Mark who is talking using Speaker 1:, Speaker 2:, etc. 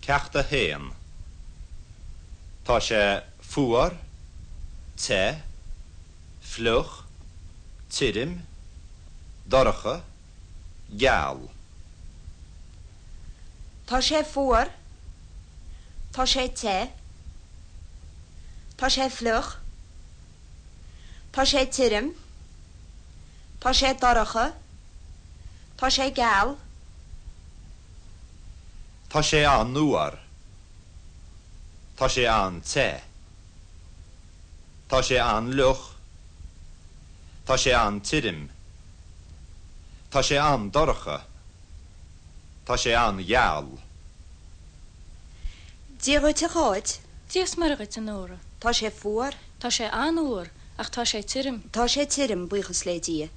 Speaker 1: Ceacht 1. Tá sé fuar, te, fliuch, tirim, dorcha, geal.
Speaker 2: Tá sé fuar. Tá sé te. Tá sé fliuch. Tá sé tirim. Tá sé dorcha. Tá sé geal.
Speaker 1: Tá sé an-fhuar. Tá sé an-te. Tá sé an-fhliuch. Tá sé an-tirim. Tá sé an-dorcha. Tá sé an-gheal.
Speaker 2: Dia dhuit a Cháit.
Speaker 3: Dia is Muire dhuit, a Nóra.
Speaker 2: Tá sé fuar.
Speaker 3: Tá sé an-fhuar, ach tá sé tirim.
Speaker 2: Tá sé tirim, buíochas le Dia.